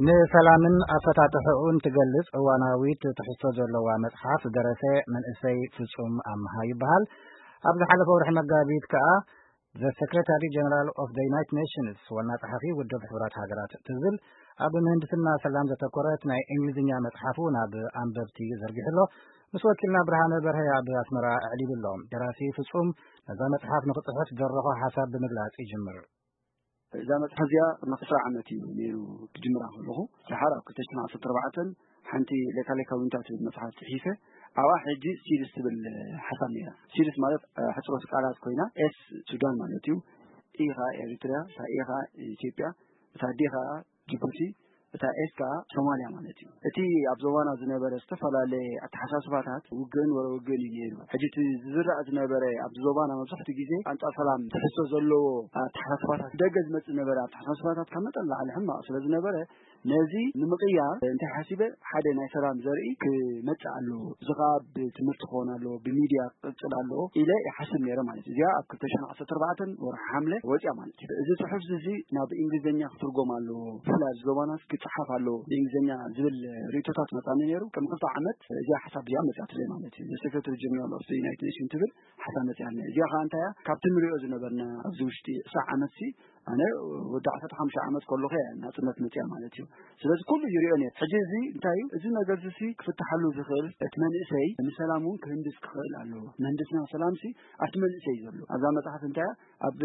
ንሰላምን ኣፈታትሕኡን ትገልጽ እዋናዊት ትሕዝቶ ዘለዋ መጽሓፍ ዝደረሰ መንእሰይ ፍጹም ኣምሃ ይበሃል። ኣብ ዝሓለፈ ወርሒ መጋቢት ከኣ The Secretary General of the United Nations፣ ዋና ጸሓፊ ውድብ ሕቡራት ሃገራት ትብል፣ ኣብ ምህንድስና ሰላም ዘተኮረት ናይ እንግሊዝኛ መጽሓፉ ናብ ኣንበብቲ ዘርጊሑ ኣሎ። ምስ ወኪልና ብርሃነ በርሀ ኣብ ኣስመራ ኣዕሊሉ ኣሎ። ደራሲ ፍጹም ነዛ መጽሓፍ ንኽጽሕፍ ዝደረኾ ሓሳብ ብምግላጽ ይጅምር። እዛ መጽሓፍ እዚኣ ቅድሚ ዕስራ ዓመት እዩ ነይሩ ክጅምራ ከለኹ። ድሓር ኣብ ክልተ ሽሕን ዓሰርተ ኣርባዕተን ሓንቲ ሌካሌካ ዊንታ ትብል መጽሓፍ ጽሒፈ። ኣብኣ ሕጂ ሲድስ ትብል ሓሳብ ነይራ። ሲድስ ማለት፣ እ፣ ሕጽሮት ቃላት ኮይና፣ ኤስ ሱዳን ማለት እዩ፣ ኢ ኸኣ ኤሪትርያ፣ እታ ኤ ኸኣ ኢትዮጵያ፣ እታ ዲ ኸኣ ጅቡቲ፣ እታ ኤስ ከኣ ሶማልያ ማለት እዩ። እቲ ኣብ ዞባና ዝነበረ ዝተፈላለየ ኣተሓሳስባታት ውግእን ወረ ውግእን እዩ ነይሩ። ሕጂ እቲ ዝዝራእ ዝነበረ ኣብዚ ዞባና መብዛሕትኡ ግዜ ኣንጻር ሰላም ትሕዝቶ ዘለዎ ኣተሓሳስባታት ደገ ዝመጽእ ነበረ። ኣተሓሳስባታት ካብ መጠን ላዕሊ ሕማቕ ስለ ዝነበረ፣ ነዚ ንምቕያር እንታይ ሓሲበ፣ ሓደ ናይ ሰላም ዘርኢ ክመጽእ ኣለዎ። እዚ ኸኣ ብትምህርቲ ክኸውን ኣለዎ፣ ብሚድያ ክቕጽል ኣለዎ ኢለ ይሓስብ ነይረ ማለት እዩ። እዚኣ ኣብ ክልተ ሽሕን ዓሰርተ ኣርባዕተን ወርሒ ሓምለ ወጽያ ማለት እዩ። እዚ ጽሑፍ እዚ ናብ እንግሊዝኛ ክትርጎም ኣለዎ፣ ብፍላይ ኣብዚ ዞባና ክጽሓፍ ኣለዎ ብእንግሊዝኛ ዝብል ርእይቶታት መጻኒ ነይሩ። ቅድሚ ክልተ ዓመት እዚኣ ሓሳብ እዚኣ መጽኣትለይ ማለት እዩ። The Secretary General of the United Nations ትብል ሓሳብ መጽኣልና። እዚኣ ኸኣ እንታይ እያ? ካብቲ ንሪኦ ዝነበርና ኣብዚ ውሽጢ ዕስራ ዓመት ሲ ኣነ ወዲ ዓሰርተ ሓሙሽተ ዓመት ከለኹ እያ ናጽነት መጽያ ማለት እዩ። ስለዚ ኩሉ ይሪኦ ነይሩ። ሕጂ እዚ እንታይ እዩ? እዚ ነገር እዚ ሲ ክፍትሓሉ ዝኽእል እቲ መንእሰይ ንሰላም እውን ክህንድስ ክኽእል ኣለዎ። ምህንድስና ሰላም ሲ ኣብቲ መንእሰይ እዩ ዘሎ። ኣብዛ መጽሓፍ እንታይ እያ? ኣብ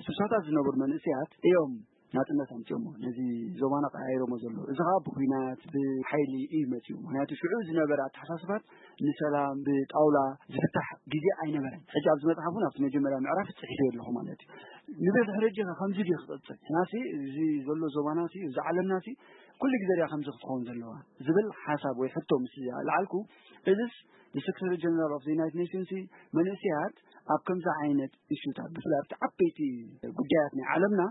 ሱሳታት ዝነበሩ መንእሰያት እዮም ናጽነት ኣምጺኦሞ። ነዚ ዞባና ቀያይሮሞ ዘለዉ። እዚ ኸኣ ብኲናት፣ ብሓይሊ እዩ መጺኡ። ምኽንያቱ ሽዑ ዝነበረ ኣተሓሳስባት ንሰላም ብጣውላ ዝፍታሕ ግዜ ኣይነበረን። ሕጂ ኣብዚ መጽሓፍ እውን ኣብቲ መጀመርያ ምዕራፍ ጽሒፈዮ ኣለኹ ማለት እዩ። ንብዝሒ ሕጂ ኸ ከምዚ ድዩ ክቕጽል? ናሲ እዚ ዘሎ ዞባናሲ፣ እዚ ዓለምናሲ ኩሉ ግዜ ድያ ከምዚ ክትኸውን ዘለዋ? ዝብል ሓሳብ ወይ ሕቶ ምስ ኣልዓልኩ፣ እዝስ The Secretary General of the United Nations መንእሰያት ኣብ ከምዚ ዓይነት ኢሹታት፣ ብፍላይ ኣብቲ ዓበይቲ ጉዳያት ናይ ዓለምና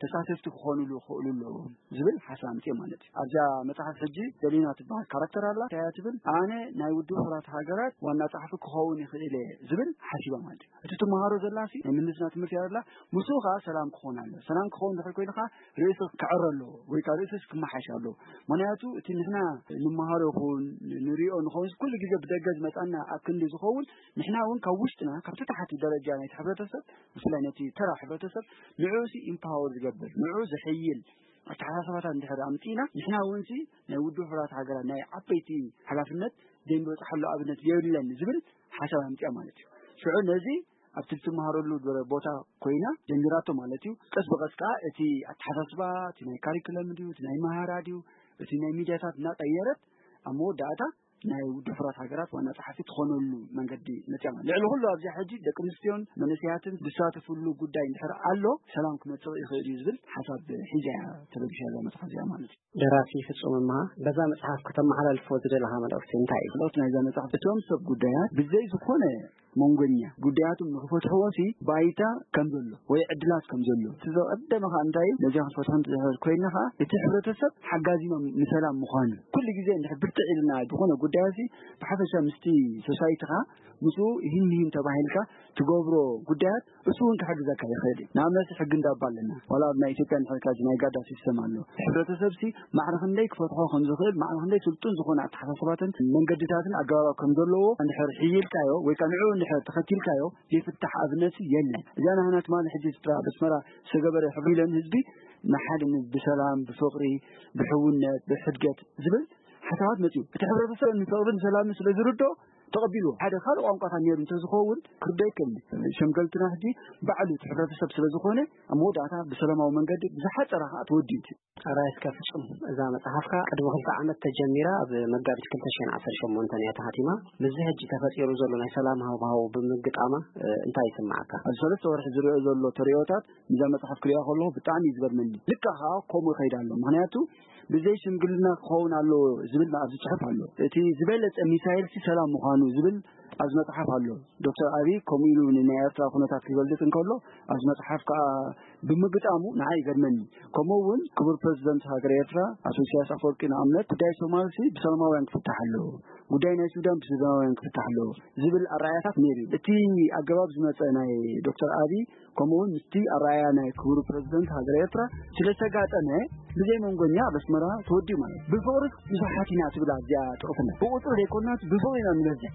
ተሳተፍቲ ክኾኑሉ ይኽእሉ ኣለዎም ዝብል ሓሳብ ኣምጽእ ማለት እዩ። ኣብዛ መጽሓፍ ሕጂ ዘሊና ትበሃል ካራክተር ኣላ። እንታይ እያ ትብል? ኣነ ናይ ውድብ ሕቡራት ሃገራት ዋና ጸሓፊ ክኸውን ይኽእል እየ ዝብል ሓሲባ ማለት እዩ። እቲ ትመሃሮ ዘላሲ ናይ ምህንድስና ትምህርቲ እያ ዘላ። ምስኡ ኸኣ ሰላም ክኾን ኣለዎ። ሰላም ክኸውን ድሕሪ ኮይኑ ኸኣ ርእሲ ክዕረ ኣለዎ ወይ ከኣ ርእስስ ክመሓሽ ኣለዎ። ምኽንያቱ እቲ ንሕና ንመሃሮ ይኹን ንሪኦ ንኸውን ኩሉ ግዜ ብደገ ዝመጻና ኣብ ክንዲ ዝኸውን ንሕና እውን ካብ ውሽጥና ካብቲ ታሕቲ ደረጃ ናይቲ ሕብረተሰብ ብፍላይ ነቲ ተራ ሕብረተሰብ ንዕኡ ሲ ኢምፓወር ዝገብር ንዕኡ ዘሐይል ኣተሓሳስባታት እንድሕር ኣምጺእና ንሕና እውን ሲ ናይ ውድብ ሕቡራት ሃገራት ናይ ዓበይቲ ሓላፍነት ዘይንበጽሓሉ ኣብነት የብለን ዝብል ሓሳብ ኣምጺኣ ማለት እዩ። ሽዑ ነዚ ኣብቲ ትመሃረሉ ዝበረ ቦታ ኮይና ጀሚራቶ ማለት እዩ። ቀስ ብቐስ ከኣ እቲ ኣተሓሳስባ እቲ ናይ ካሪክለም ድዩ እቲ ናይ መሃራ ድዩ እቲ ናይ ሚድያታት እናቀየረት ኣብ መወዳእታ ናይ ውድብ ሕቡራት ሃገራት ዋና ጸሓፊ ትኾነሉ መንገዲ መጽያ ማለት። ልዕሊ ኩሉ ኣብዚኣ ሕጂ ደቂ ኣንስትዮን መንእሰያትን ዝሳተፍሉ ጉዳይ እንድሕር ኣሎ ሰላም ክመጽእ ይኽእል እዩ ዝብል ሓሳብ ሒዛ እያ ተበጊሳ እዛ መጽሓፍ እዚኣ ማለት እዩ። ደራሲ ፍጹም እምሃ፣ በዛ መጽሓፍ ከተመሓላልፎ ዝደለኻ መልእኽቲ እንታይ እዩ? ካልኦት ናይዛ መጽሓፍ እቶም ሰብ ጉዳያት ብዘይ ዝኾነ መንጎኛ ጉዳያቶም ንኽፈትሕዎ ሲ ባይታ ከም ዘሎ ወይ ዕድላት ከም ዘሎ እቲ ዘቐደመ ኸዓ እንታይ እዩ? ነዚኣ ክትፈትሖ እንተዝሕል ኮይንና ኸዓ እቲ ሕብረተሰብ ሓጋዚ ም- ንሰላም ምዃኑ ኩሉ ግዜ እንድሕር ብርትዕ ኢልና ዝኾነ ጉዳያት ሲ ብሓፈሻ ምስቲ ሶሳይቲኻ ምስኡ ይህን ይህን ተባሂልካ ትገብሮ ጉዳያት እሱ እውን ክሕግዘካ ይኽእል እዩ። ንኣብነት ሕጊ እንዳባ ኣለና። ዋላ ኣብ ናይ ኢትዮጵያ እንድሕር ኢልካ ናይ ጋዳ ሲስተም ኣሎ። ሕብረተሰብ ሲ ማዕረ ክንደይ ክፈትሖ ከም ዝኽእል፣ ማዕረ ክንደይ ስልጡን ዝኾነ ኣተሓሳስባትን መንገድታትን ኣገባባት ከም ዘለዎ እንድሕር ሕይልካዮ ወይ ከዓ ንዕኡ እንድሕር ተኸቲልካዮ ዘይፍታሕ ኣብነት የለን። እዚኣ ናህና ትማሊ ሕጂ ስድራ ኣብ ኣስመራ ዝተገበረ ሕጊ ኢለን ህዝቢ ንሓደ ን- ብሰላም፣ ብፍቕሪ፣ ብሕውነት፣ ብሕድገት ዝብል ሓሳባት መፅዩ። እቲ ሕብረተሰብ ንፍቕርን ሰላምን ስለ ዝርዶ ተቐቢልዎ ሓደ ካልእ ቋንቋታት ነይሩ እንተዝኸውን ክርዶ ይከኒ። ሸምገልትና ሕጂ ባዕሉ እቲ ሕብረተሰብ ስለ ዝኾነ ኣብ መወዳእታ ብሰላማዊ መንገዲ ብዝሓፀረ ከዓ ተወዲኡ እቲ ኣራይ እስከ ፍጹም እዛ መጽሓፍካ ቅድሚ ክልተ ዓመት ተጀሚራ ኣብ መጋቢት ክልተ ሽሕን ዓሰርተ ሸሞንተን እያ ተሓቲማ። ምስዚ ሕጂ ተፈጢሩ ዘሎ ናይ ሰላም ሃዋህው ብምግጣማ እ፣ እንታይ ይስምዓካ? ኣብዚ ሰለስተ ወርሒ ዝሪኦ ዘሎ ተሪኦታት እዛ መጽሓፍ ክሪኣ ከለኹ ብጣዕሚ እዩ ዝገርመኒ። ልክዕ ከዓ ከምኡ ይኸይድ ኣሎ። ምኽንያቱ ብዘይ ሽምግልና ክኸውን ኣለዎ ዝብል ኣብዚ ጽሑፍ ኣሎ። እቲ ዝበለጸ ሚሳይል ሲ ሰላም ምዃኑ ዝብል ኣብዚ መጽሓፍ ኣሎ። ዶክተር ኣብይ ከምኡ ኢሉ ንናይ ኤርትራ ኩነታት ክገልጽ እንከሎ ኣብዚ መጽሓፍ ከዓ ብምግጣሙ ንዓይ ይገርመኒ። ከምኡ እውን ክቡር ፕረዚደንት ሃገር ኤርትራ ኣቶ ኢሳያስ ኣፈወርቂ ንኣብነት ጉዳይ ሶማልሲ ብሰላማውያን ክፍታሕ ኣለዎ፣ ጉዳይ ናይ ሱዳን ብሱዳናውያን ክፍታሕ ኣለዎ ዝብል ኣረኣያታት ነይሩ እዩ። እቲ ኣገባብ ዝመጸ ናይ ዶክተር ኣብይ ከምኡ እውን ምስቲ ኣረኣያ ናይ ክቡር ፕረዚደንት ሃገር ኤርትራ ስለ ዝተጋጠመ ብዘይ መንጎኛ ኣብ ኣስመራ ተወዲኡ ማለት እዩ። ብፍቕሪ ብዙሓት ኢና ትብል ኣብዚኣ ጥቕስና ብቁፅሪ ዘይኮናስ ብፍቕሪ ኢና ንበዝሕ።